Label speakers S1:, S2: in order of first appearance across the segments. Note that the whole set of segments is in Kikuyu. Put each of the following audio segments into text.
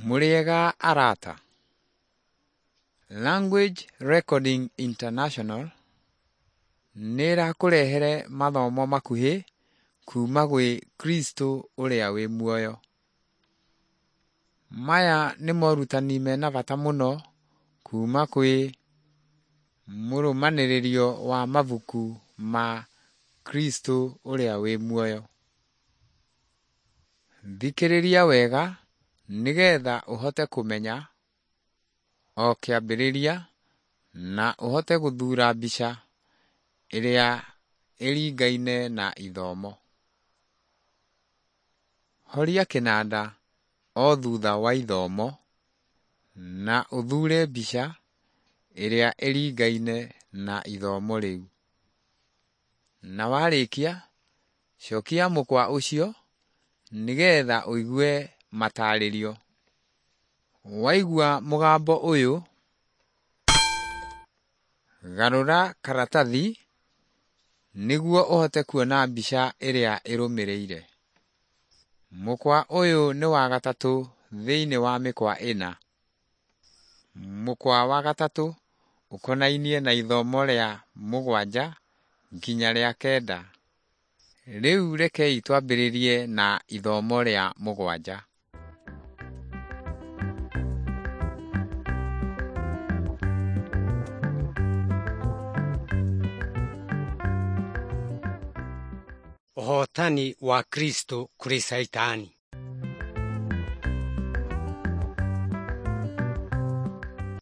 S1: Mũrĩega arata? Language Recording International nĩĩrakũrehere mathomo makuhĩ kuma gwĩ Kristo ũrĩa wĩ muoyo. Maya nĩ morutani mena bata mũno kuma kwĩ mũrũmanĩrĩrio wa mabuku ma Kristo ũrĩa wĩ muoyo. Thikĩrĩria wega nĩgetha ũhote kũmenya o kĩambĩrĩria na ũhote gũthuura mbica ĩrĩa ĩringaine na ithomo. Horia kĩnanda o thutha wa ithomo na ũthuure mbica ĩrĩa ĩringaine na ithomo rĩu. Na warĩkia, cokia mũkwa ũcio nĩgetha ũigue matarĩrio. Waigua mũgambo ũyũ, garũra karatathi nĩguo ũhote kuona mbica ĩrĩa ĩrũmĩrĩire. Mũkwa ũyũ nĩ wa gatatũ thĩinĩ wa mĩkwa ĩna. Mũkwa wa gatatũ ũkonainie na ithomo rĩa 7 nginya rĩa 9. Rĩu rekei twambĩrĩrie na ithomo rĩa 7.
S2: Ũhootani wa Kristo kũrĩ Caitani.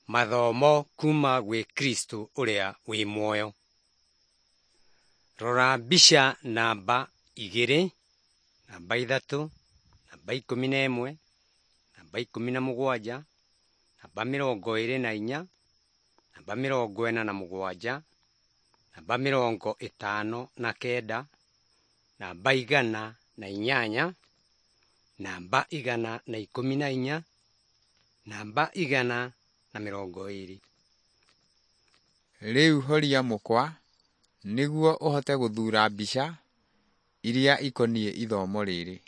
S2: Mathomo kuma gwĩ Kristo ũrĩa wĩ muoyo. Rora mbica namba 2, namba 3, namba 11, namba 17, namba 24, namba 47, namba 59, namba 108, namba 114, namba 120.
S1: Rĩu horia mũkwa nĩguo ũhote gũthuura mbica iria ikoniĩ ithomo rĩrĩ.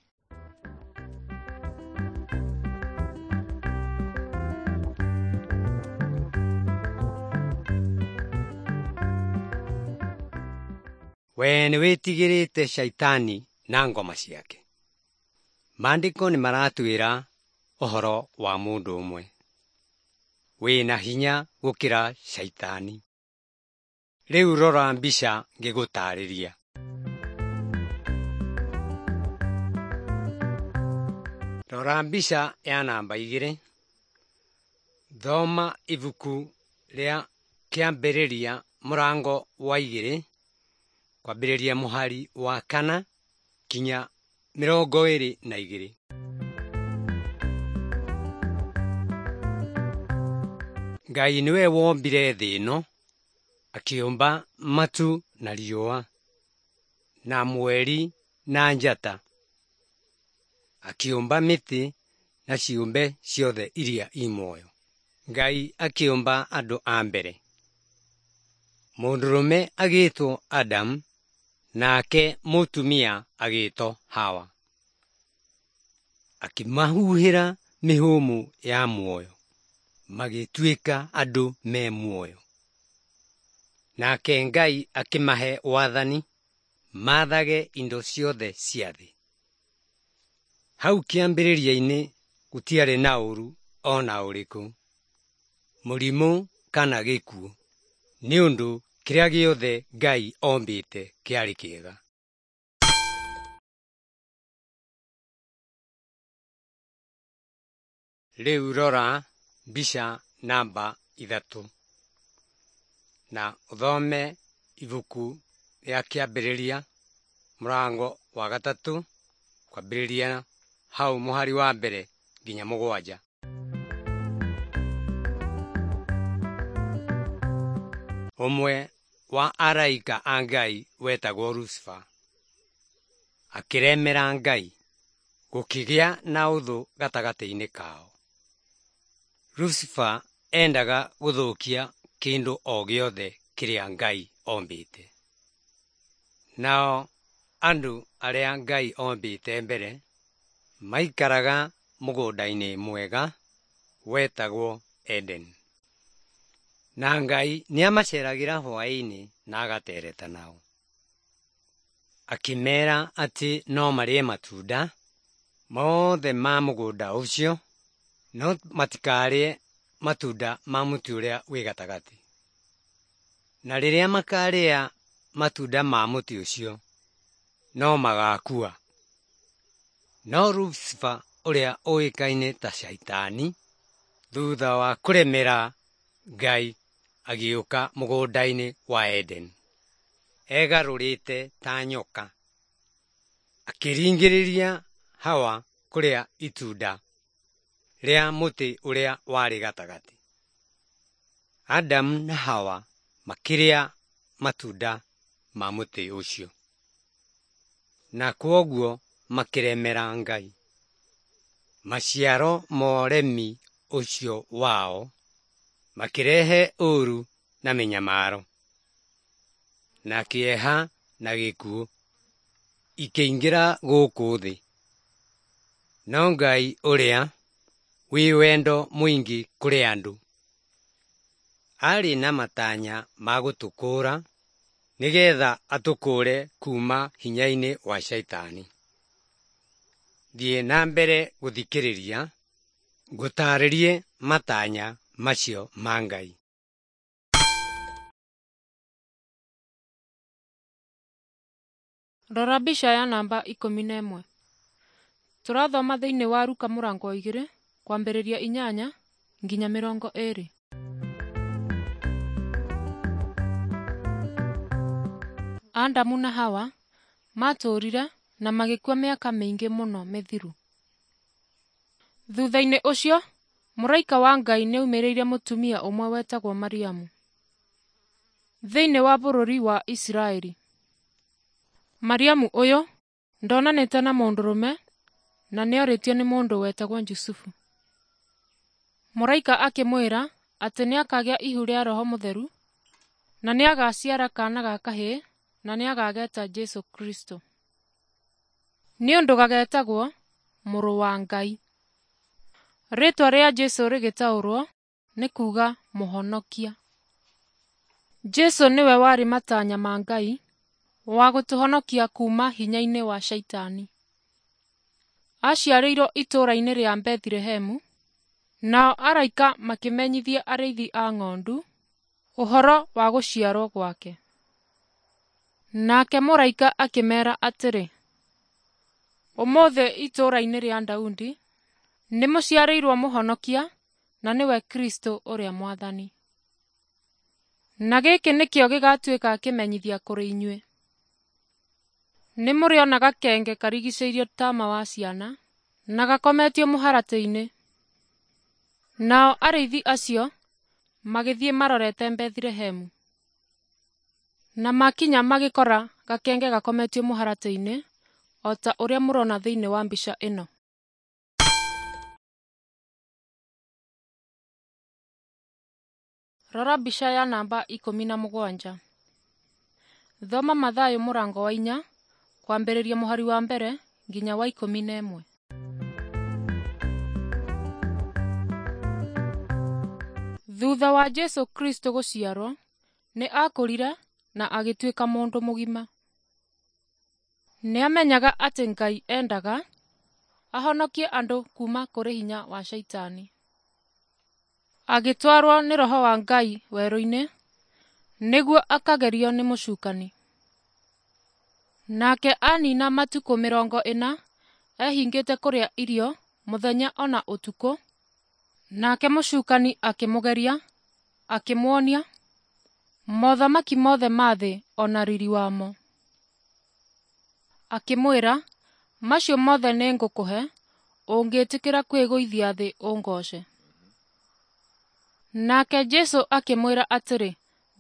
S2: We nĩwĩtigĩrĩte Shaitani na ngoma ciake. Maandĩko nĩmaratwĩra ũhoro wa mũndũ ũmwe wĩna hinya gũkĩra Shaitani. Rĩu rora mbica ngĩgũtarĩria. Rora mbica ya namba 2. Thoma ibuku rĩa Kĩambĩrĩria mũrango wa 2 kwambĩrĩria mũhari wa 4 kinya 22. Ngai nĩwe wombire thĩ ĩno, akĩũmba matu na riũa, na mweri na njata, akĩũmba mĩtĩ na ciũmbe ciothe iria i muoyo. Ngai akĩũmba andũ a mbere. Mũndũrũme agĩtwo Adamu nake mũtumia agĩtwo Hawa. Akĩmahuhĩra mĩhũmũ ya muoyo, magĩtuĩka andũ me muoyo. Nake Ngai akĩmahe wathani maathage indo ciothe cia thĩ. Hau kĩambĩrĩria-inĩ gũtiarĩ na ũũru ona ũrĩkũ, mũrimũ kana gĩkuũ, nĩ ũndũ kĩrĩa gĩothe Ngai ombĩte kĩarĩ kĩega. Rĩu rora mbica namba 3 na ũthome ibuku rĩa Kĩambĩrĩria mũrango wa 3 kwambĩrĩria hau mũhari wa 1 nginya 7. Ũmwe wa araika a Ngai wetagwo Lucifer akĩremera Ngai, gũkĩgĩa na ũthũ gatagatĩ-inĩ kao. Lucifer endaga gũthũkia kĩndũ o gĩothe kĩrĩa Ngai ombĩte. Nao andũ arĩa Ngai ombĩte mbere maikaraga mũgũnda-inĩ mwega wetagwo Eden. Na Ngai nĩamaceragĩra hwaĩ-inĩ na agatereta nao. Akĩmeera atĩ no marĩe matunda mothe ma mũgũnda ũcio, no matikarĩe matunda ma mũtĩ ũrĩa wĩ gatagatĩ. Na rĩrĩa makarĩa matunda ma mũtĩ ũcio, no magakua. No Lucifer ũrĩa ũĩkaine ta Shaitani, thutha wa kũremera Ngai agĩũka mũgũnda-inĩ wa Eden. Egarũrĩte ta nyoka. Akĩringĩrĩria Hawa kũrĩa itunda rĩa mũtĩ ũrĩa warĩ gatagatĩ. Adamu na Hawa makĩrĩa matunda ma mũtĩ ũcio. Na kwoguo makĩremera Ngai. Maciaro ma ũremi ũcio wao makĩrehe ũũru na mĩnyamaro, na kĩeha na gĩkuũ ikĩingĩra gũkũ thĩ. No Ngai ũrĩa wĩ wendo mũingĩ kũrĩ andũ, arĩ na matanya ma gũtũkũũra nĩgetha atũkũũre kuuma hinya-inĩ wa Shaitani. Thiĩ na mbere gũthikĩrĩria ngũtaarĩrie matanya macio ma Ngai.
S3: Rora mbica ya namba 11. Tũrathoma thĩinĩ wa Ruka mũrango wa 2 kwambĩrĩria 8 nginya 20. Adamu na Hawa maatũũrire na magĩkua mĩaka mĩingĩ mũno mĩthiru. Thutha-inĩ ũcio, mũraika wa Ngai nĩaumĩrĩire mũtumia ũmwe wetagwo Mariamu thĩinĩ wa bũrũri wa Isiraeli. Mariamu ũyũ ndonanĩte na mũndũrũme na nĩorĩtio nĩ mũndũ wetagwo Jusufu. Mũraika akĩmwĩra atĩ nĩakagĩa ihu rĩa Roho Mũtheru na nĩagaciara kaana ga kahĩĩ na nĩagageta Jesũ Kristo. Nĩ ũndũ gagetagwo Mũrũ wa Ngai. Rĩĩtwa rĩa Jesũ rĩgĩtaũrwo nĩ kuuga Mũhonokia. Jesũ nĩwe warĩ matanya ma Ngai wa gũtũhonokia kuuma hinya-inĩ wa Shaitani. Aciarĩirwo itũũra-inĩ rĩa Bethilehemu, nao araika makĩmenyithia arĩithi a ng'ondu ũhoro wa gũciarwo gwake. Nake mũraika akĩmeera atĩrĩ, ũmũthĩ itũũra-inĩ rĩa Daudi nĩmũciarĩirwo Mũhonokia, na nĩwe Kristũ ũrĩa Mwathani. Na gĩkĩ nĩkĩo gĩgatuĩka kĩmenyithia kũrĩ inyuĩ. Nĩmũrĩona gakenge karigicĩirio taama wa ciana na gakometio mũharatĩ-inĩ. Nao arĩithi acio magĩthiĩ marorete Bethilehemu. Na makinya magĩkora gakenge gakometio mũharatĩ-inĩ o ta ũrĩa mũrona thĩinĩ wa mbica ĩno. Rora mbica ya namba 17. Thoma Mathayo mũrango wa 4 kwambĩrĩria mũhari wa 1 nginya wa 11. Thutha wa Jesũ Kristo gũciarwo, nĩ aakũrire na agĩtuĩka mũndũ mũgima. Nĩamenyaga atĩ Ngai endaga ahonokie andũ kuuma kũrĩ hinya wa Shaitani. Agĩtwarwo nĩ Roho wa Ngai werũ-inĩ nĩguo akagerio nĩ mũcukani. Nake anina matukũ 40 ehingĩte kũrĩa irio mũthenya ona ũtukũ, nake mũcukani akĩmũgeria, akĩmuonia mothamaki mothe ma thĩ ona riri wamo. Akĩmwĩra, macio mothe nĩngũkũhe ũngĩtĩkĩra kwĩgũithia thĩ ũngooce. Nake Jesũ akĩmwĩra atĩrĩ,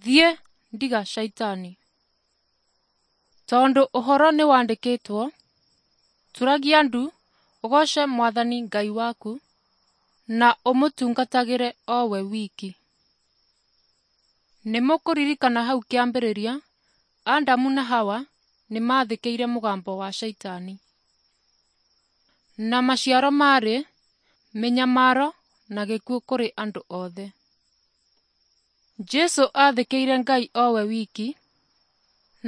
S3: thiĩ, ndiga Shaitani. Tondũ ũhoro nĩwandĩkĩtwo, turagia ndu ũgooce Mwathani Ngai waku na ũmũtungatagĩre o we wiki. Nĩmũkũririkana hau kĩambĩrĩria, Adamu na Hawa nĩmathĩkĩire mũgambo wa Shaitani. Na maciaro maarĩ mĩnyamaro na gĩkuũ kũrĩ andũ othe. Jesũ aathĩkĩire Ngai o we wiki,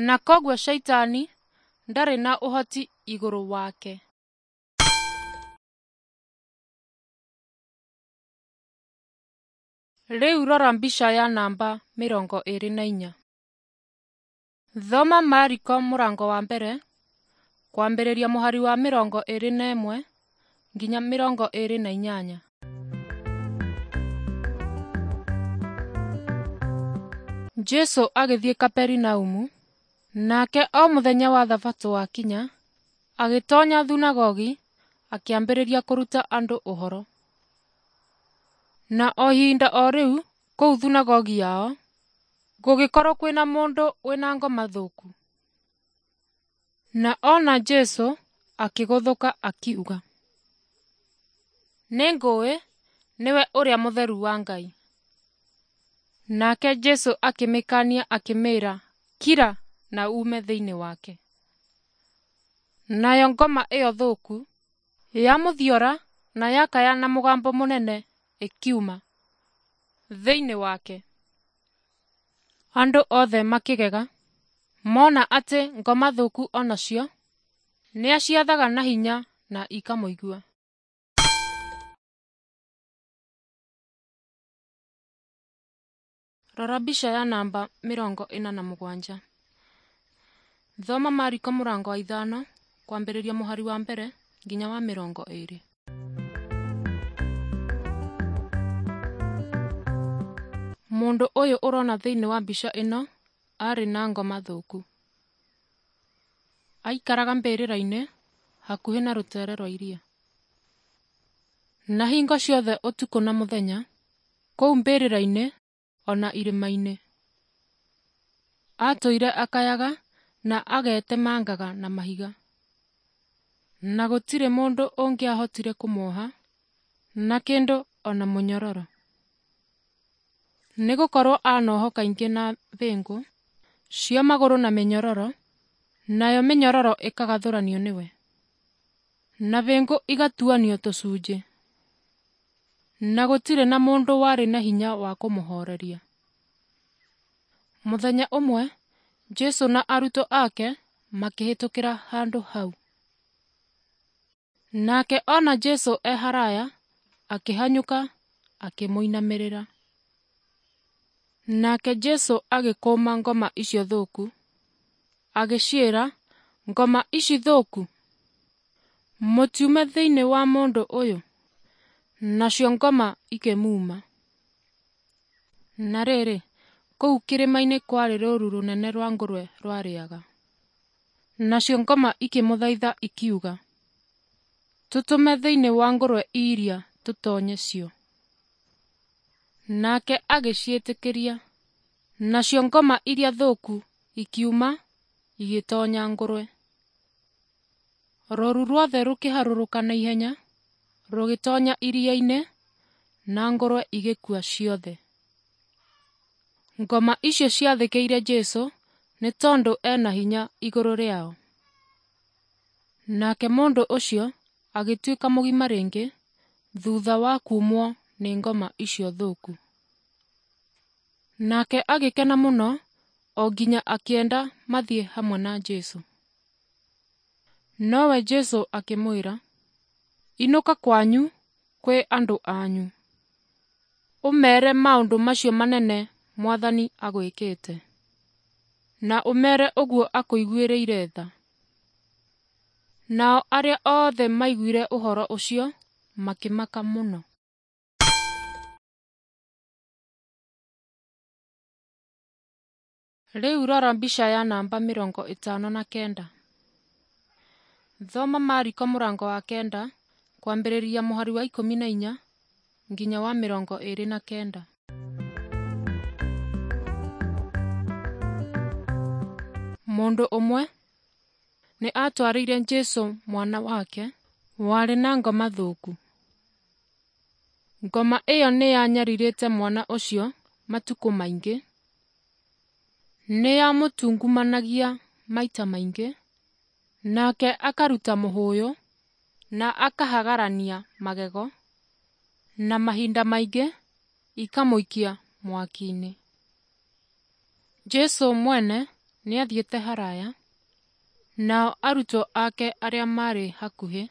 S3: na kwoguo Shaitani ndarĩ na ũhoti igũrũ wake. Rĩu rora mbica ya namba 24. Thoma Mariko mũrango wa mbere kwambĩrĩria mũhari wa 21 nginya 28. Jesũ agĩthiĩ Kaperinaumu, nake o mũthenya wa Thabatũ wakinya, agĩtoonya thunagogi akĩambĩrĩria kũruta andũ ũhoro. Na o ihinda o rĩu kũu thunagogi yao gũgĩkorwo kwĩna mũndũ wĩna ngoma thũku. Na ona Jesũ akĩgũthũka akiuga, “Nĩngũĩ nĩwe ũrĩa mũtheru wa Ngai.” Nake Jesũ akĩmĩkaania akĩmĩĩra, “Kira na uume thĩinĩ wake.” Nayo ngoma ĩyo thũku yamũthiora na yakaya na mũgambo mũnene ĩkiuma thĩinĩ wake. Andũ othe makĩgega mona atĩ ngoma thũku o nacio nĩaciathaga na hinya na ikamũigua. Rora mbica ya namba 47. Thoma Mariko mũrango wa 5 kwambĩrĩria mũhari wa 1 nginya wa 20. Mũndũ ũyũ ũrona thĩinĩ wa mbica ĩno arĩ na ngoma thũku. Aikaraga mbĩrĩra-inĩ hakuhĩ na rũtere rwa iria. Na hingo ciothe ũtukũ na mũthenya, kũu mbĩrĩra-inĩ ona irĩma-inĩ. Atũire akayaga na agetemangaga na mahiga. Na gũtirĩ mũndũ ũngĩahotire kũmuoha na kĩndũ ona mũnyororo. Nĩgũkorwo anohwo kaingĩ na bĩngũ cia magũrũ na mĩnyororo, nayo mĩnyororo ĩkagathũranio nĩwe, na bĩngũ igatuanio tũcunjĩ. Na gũtirĩ na mũndũ warĩ na hinya wa kũmũhooreria. Mũthenya ũmwe Jesũ na arutwo ake makĩhĩtũkĩra handũ hau. Nake ona Jesũ e haraya, akĩhanyũka akĩmũinamĩrĩra. Nake Jesũ agĩkũma ngoma icio thũku, agĩciĩra, “Ngoma ici thũku, mũtiume thĩinĩ wa mũndũ ũyũ.” Nacio ngoma ikĩmuuma. Na rĩrĩ, kũu kĩrĩma-inĩ kwarĩ rũũru rũnene rwa ngũrwe rwarĩaga. Nacio ngoma ikĩmũthaitha ikiuga, “Tũtũme thĩinĩ wa ngũrwe iria tũtoonye cio.” Nake agĩciĩtĩkĩria. Nacio ngoma iria thũku ikiuma igĩtoonya ngũrwe. Rũũru ruothe rũkĩharũrũka na ihenya rũgĩtoonya iria-inĩ, na ngũrwe igĩkua ciothe. Ngoma icio ciathĩkĩire Jesũ nĩ tondũ ena hinya igũrũ rĩao. Nake mũndũ ũcio agĩtuĩka mũgima rĩngĩ thutha wa kuumwo nĩ ngoma icio thũku. Nake agĩkena mũno o nginya akĩenda mathiĩ hamwe na Jesũ. Nowe Jesũ akĩmwĩra, “Inũka kwanyu kwĩ andũ anyu, ũmeere maũndũ macio manene Mwathani agwĩkĩte, na ũmeere ũguo akũiguĩrĩire tha.” Nao arĩa othe maiguire ũhoro ũcio makĩmaka mũno. Rĩu rora mbica ya namba 59. Thoma Mariko mũrango wa 9 kwambĩrĩria mũhari wa 14 nginya wa 29. Mũndũ ũmwe nĩ aatwarĩire Jesũ mwana wake warĩ na ngoma thũku. Ngoma ĩyo nĩ yanyarirĩte mwana ũcio matukũ maingĩ, nĩ yamũtungumanagia maita maingĩ, nake akaruta mũhũyũ na akahagarania magego, Na mahinda maingĩ ikamũikia mwaki-inĩ. Jesũ mwene nĩathiĩte haraya, nao arutwo ake arĩa maarĩ hakuhĩ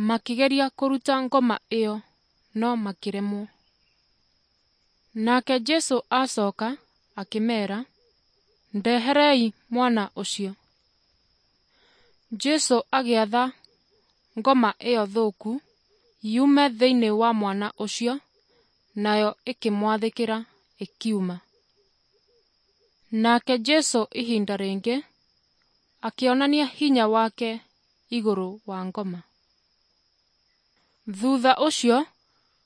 S3: makĩgeria kũruta ngoma ĩyo no makĩremwo. Nake Jesũ acoka akĩmeera, “Ndeherei mwana ũcio.” Jesũ agĩatha ngoma ĩyo thũku yume thĩinĩ wa mwana ũcio, nayo ĩkĩmwathĩkĩra ĩkiuma. Nake Jesũ ihinda rĩngĩ akĩonania hinya wake igũrũ wa ngoma. Thutha ũcio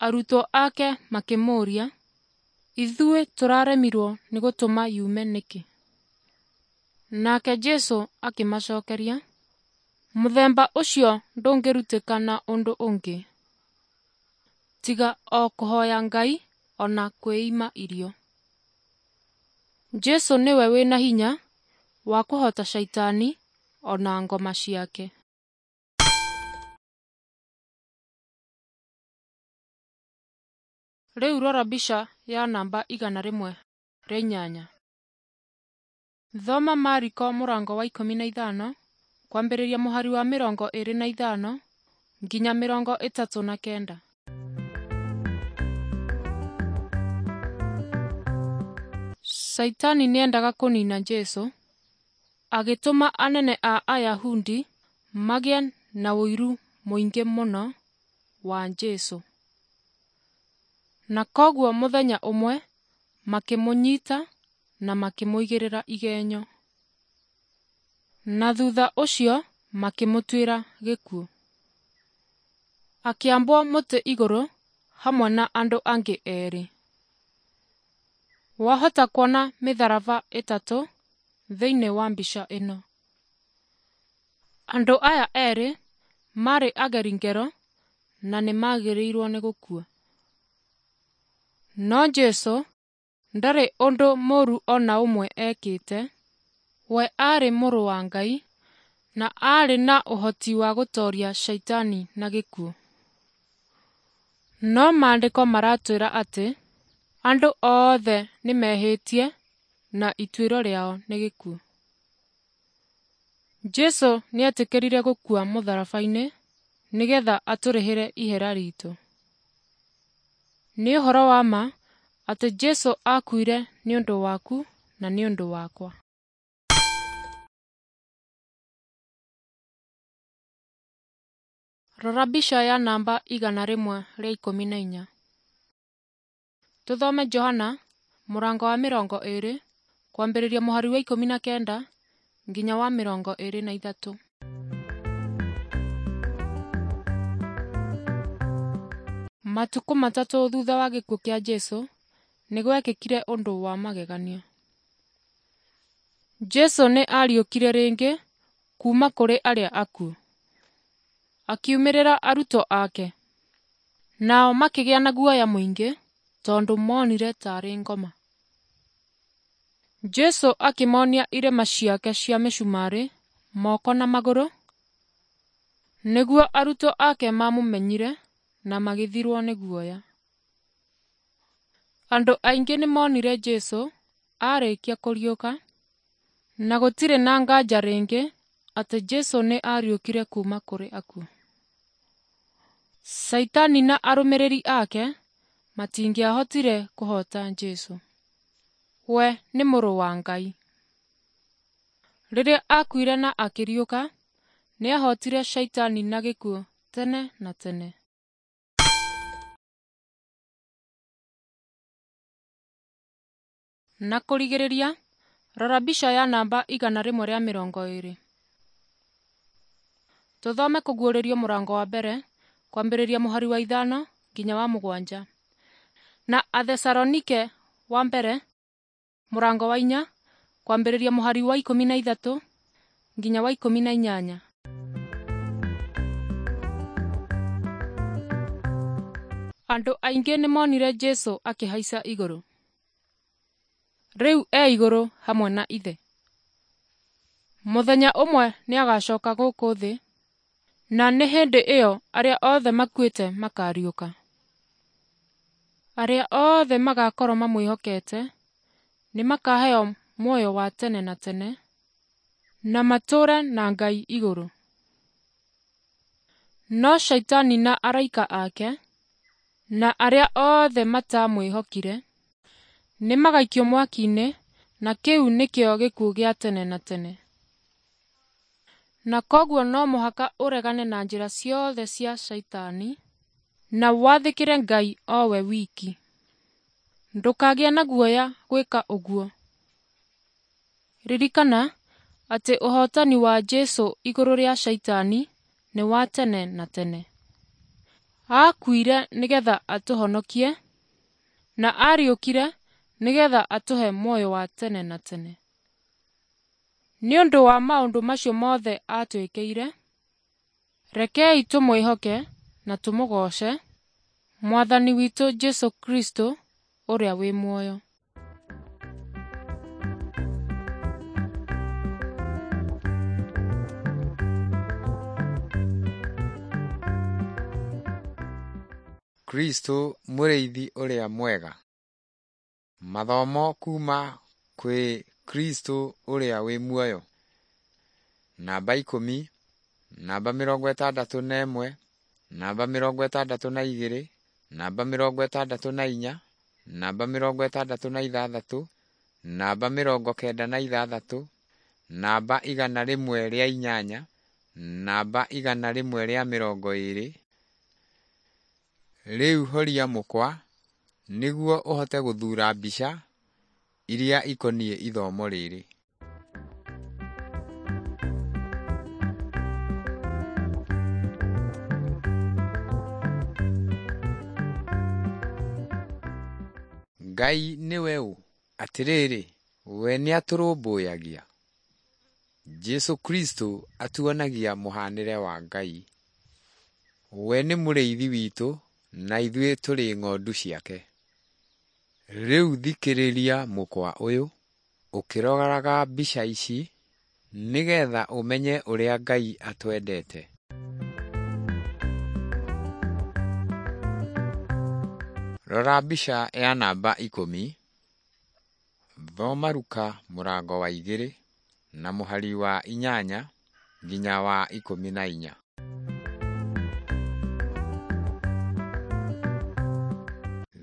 S3: arutwo ake makĩmũũria, “Ithuĩ tũraremirwo nĩ gũtũma yume nĩkĩ?” Nake Jesũ akĩmacookeria, “Mũthemba ũcio ndũngĩrutĩka na ũndũ ũngĩ tiga o kũhooya Ngai o na kwĩima irio.” Jesũ nĩwe wĩna hinya wa kũhoota Shaitani o na ngoma ciake. Rĩu rora mbica ya namba 108. Thoma Mariko mũrango wa 15 kwambĩrĩria mũhari wa 25 nginya 39. Shaitani nĩendaga kũniina Jesũ, agĩtũma anene a Ayahudi magĩe na ũiru mũingĩ mũno wa Jesũ. Na kwoguo mũthenya ũmwe makĩmũnyita na makĩmũigĩrĩra igenyo. Na thutha ũcio makĩmũtuĩra gĩkuũ. Akĩambwo mũtĩ igũrũ hamwe na andũ angĩ erĩ. Wahota kuona mĩtharaba ĩtatũ thĩinĩ wa mbica ĩno. Andũ aya erĩ maarĩ ageri ngero na nĩmagĩrĩirwo nĩ gũkua. No Jesũ ndarĩ ũndũ mũũru o na ũmwe ekĩte. We aarĩ mũrũ wa Ngai na aarĩ na ũhoti wa gũtooria Shaitani na gĩkuũ. No maandĩko maratwĩra atĩ andũ othe nĩmehĩtie na ituĩro rĩao nĩ gĩkuũ. Jesũ nĩetĩkĩrire gũkua mũtharaba-inĩ nĩgetha atũrĩhĩre ihera riitũ. Nĩ ũhoro wa ma atĩ Jesũ aakuire nĩ ũndũ waku na nĩ ũndũ wakwa. Rora mbica ya namba 114. Tũthome Johana mũrango wa 20 kwambĩrĩria mũhari wa 19 nginya wa 23. Matukũ matatũ thutha wa gĩkuũ kĩa Jesũ nĩ gwekĩkire ũndũ wa magegania. Jesũ nĩ aariũkire rĩngĩ kuuma kũrĩ arĩa akuũ. Akiumĩrĩra arutwo ake, nao makĩgĩa na guoya mũingĩ tondũ monire taarĩ ngoma. Jesũ akĩmonia irema ciake cia mĩcumarĩ moko na magũrũ, nĩguo arutwo ake mamũmenyire na magĩthirwo nĩ guoya. Andũ aingĩ nĩmonire Jesũ arĩkia kũriũka, na gũtirĩ na nganja rĩngĩ atĩ Jesũ nĩ aariũkire kuuma kũrĩ akuũ. Shaitani na arũmĩrĩri ake matingĩahotire kũhoota Jesũ. We nĩ mũrũ wa Ngai. Rĩrĩa aakuire na akĩriũka, nĩahootire Shaitani na gĩkuũ tene na tene. Na kũrigĩrĩria, rora mbica ya namba 120. Tũthome Kũguũrĩrio mũrango wa mbere kwambĩrĩria mũhari wa 5 nginya wa 7, na Athesalonike wa mbere mũrango wa 4 kwambĩrĩria mũhari wa 13 nginya wa 18. Andũ aingĩ nĩmonire Jesũ akĩhaica igũrũ. Rĩu e igũrũ hamwe na Ithe. Mũthenya ũmwe nĩagacoka gũkũ thĩ, na nĩ hĩndĩ ĩyo arĩa othe makuĩte makariũka. Arĩa othe magakorwo mamwĩhokete nĩmakaheo muoyo wa tene na tene na matũũre na Ngai igũrũ. No Shaitani na araika ake na arĩa othe matamwĩhokire nĩmagaikio mwaki-inĩ, na kĩu nĩkĩo gĩkuũ gĩa tene na tene. Na kwoguo no mũhaka ũregane na njĩra ciothe cia Shaitani na wathĩkĩre Ngai o we wiki. Ndũkagĩe na guoya gwĩka ũguo. Ririkana atĩ ũhootani wa Jesũ igũrũ rĩa Shaitani nĩ wa tene na tene. Aakuire nĩgetha atũhonokie na ariũkire nĩgetha atũhe muoyo wa tene na tene. Nĩ ũndũ wa maũndũ macio mothe aatwĩkĩire, rekei tũmwĩhoke na tũmũgooce Mwathani witũ Jesũ Kristo ũrĩa wĩ muoyo.
S1: Kristo mũrĩithi ũrĩa mwega. Mathomo kuma kwĩ Kristo ũrĩa wĩ muoyo. Namba 10, namba 61, namba 62, namba 64, namba 66, namba 96, namba 108, namba 120. Rĩu horia mũkwa nĩguo ũhote gũthuura mbica iria ikoniĩ ithomo rĩrĩ. Ngai nĩwe ũ? Atĩrĩrĩ, we nĩatũrũmbũyagia? Jesũ Kristo atuonagia mũhanĩre wa Ngai. We nĩ mũrĩithi witũ na ithuĩ tũrĩ ng'ondu ciake. Rĩu thikĩrĩria mũkwa ũyũ ũkĩroraga mbica ici nĩgetha ũmenye ũrĩa Ngai atwendete. Rora mbica ya namba 10. Thoma Luka mũrango wa 2 na mũhari wa 8 nginya wa 14.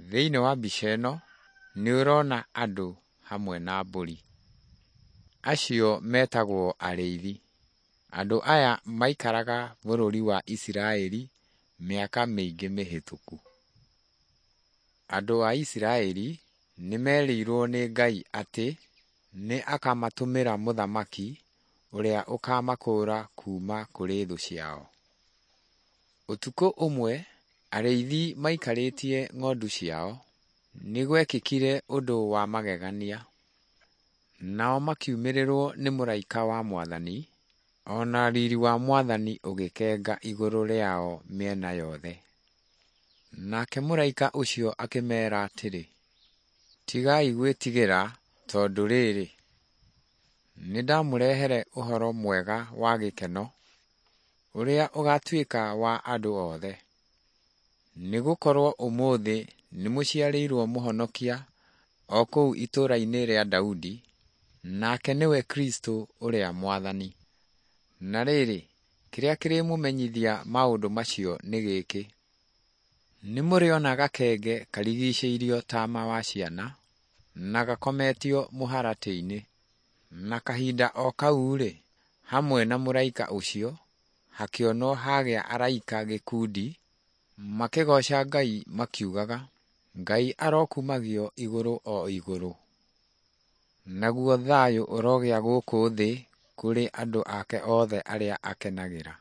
S1: Thĩinĩ wa mbica ĩno nĩ ũrona andũ hamwe na mbũri. Acio metagwo arĩithi. Andũ aya maikaraga bũrũri wa Isiraeli mĩaka mĩingĩ mĩhĩtũku. Andũ a Isiraeli nĩ merĩirwo nĩ Ngai atĩ nĩ akamatũmĩra mũthamaki ũrĩa ũkamakũũra kuma kũrĩ thũ ciao. Ũtukũ ũmwe arĩithi maikarĩtie ng'ondu ciao nĩ gwekĩkire ũndũ wa magegania. Nao makiumĩrĩrwo nĩ mũraika wa Mwathani, o na riri wa Mwathani ũgĩkenga igũrũ rĩao mĩena yothe. Nake mũraika ũcio akĩmeera atĩrĩ, tigai gwĩtigĩra tondũ rĩrĩ, nĩndamũrehere ũhoro mwega wa gĩkeno, ũrĩa ũgaatuĩka wa andũ othe. Nĩgũkorwo ũmũthĩ nĩmũciarĩirwo Mũhonokia o kũu itũũra-inĩ rĩa Daudi, nake nĩwe Kristo ũrĩa Mwathani. Na rĩrĩ, kĩrĩa kĩrĩmũmenyithia maũndũ macio nĩ gĩkĩ: nĩmũrĩona gakenge karigicĩirio taama wa ciana na gakometio mũharatĩ-inĩ. Na kahinda o kau-rĩ, hamwe na mũraika ũcio hakĩonwo hagĩa araika gĩkundi makĩgooca Ngai makiugaga, Ngai arokumagio igũrũ o igũrũ, naguo thayũ ũrogĩa gũkũ thĩ kũrĩ andũ ake othe arĩa akenagĩra.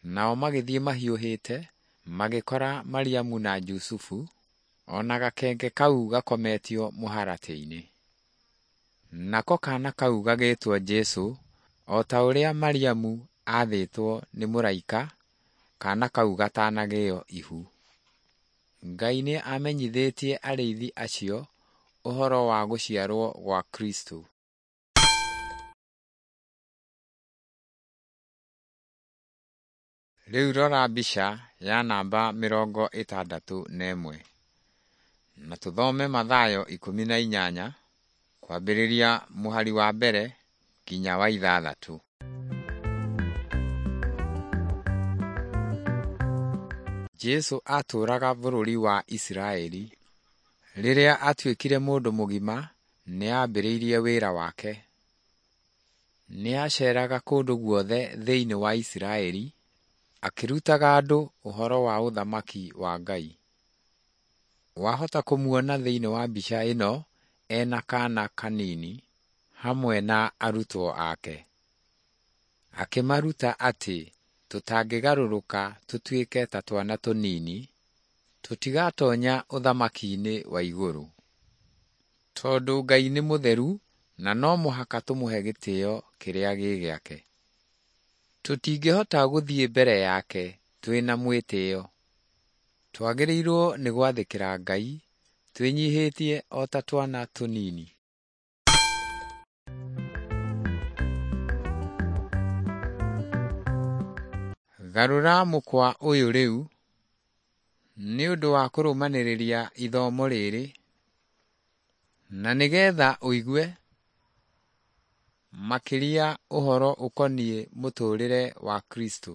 S1: Nao magĩthiĩ mahiũhĩte magĩkora Mariamu na Jusufu o na gakenge kau gakometio mũharatĩ-inĩ. Nako kaana kau gagĩtwo Jesũ o ta ũrĩa Mariamu aathĩtwo nĩ mũraika kaana kau gatanagĩo ihu. Ngai nĩ amenyithĩtie arĩithi acio ũhoro wa gũciarwo gwa Kristo. Rĩu rora mbica ya namba 61. Na tũthome Mathayo 18 kwambĩrĩria mũhari wa mbere nginya wa 6. Jesũ atũũraga bũrũri wa Isiraeli. Rĩrĩa atuĩkire mũndũ mũgima nĩ aambĩrĩirie wĩra wake. Nĩ aaceeraga kũndũ guothe thĩinĩ wa Isiraeli akĩrutaga andũ ũhoro wa ũthamaki wa Ngai. Wahota kũmuona thĩinĩ wa mbica ĩno ena kaana kanini hamwe na arutwo ake. Akĩmaruta atĩ tũtangĩgarũrũka tũtuĩke ta twana tũnini, tũtigatonya ũthamaki-inĩ wa igũrũ. Tondũ Ngai nĩ mũtheru na no mũhaka tũmũhe gĩtĩo kĩrĩa gĩ gĩake. Tũtingĩhota gũthiĩ mbere yake twĩna mwĩtĩo. Twagĩrĩirwo nĩ gwathĩkĩra Ngai twĩnyihĩtie o ta twana tũnini. Garũra mũkwa ũyũ rĩu nĩ ũndũ wa kũrũmanĩrĩria ithomo rĩrĩ, na nĩgetha ũigue makĩria ũhoro ũkoniĩ mũtũũrĩre wa Kristo.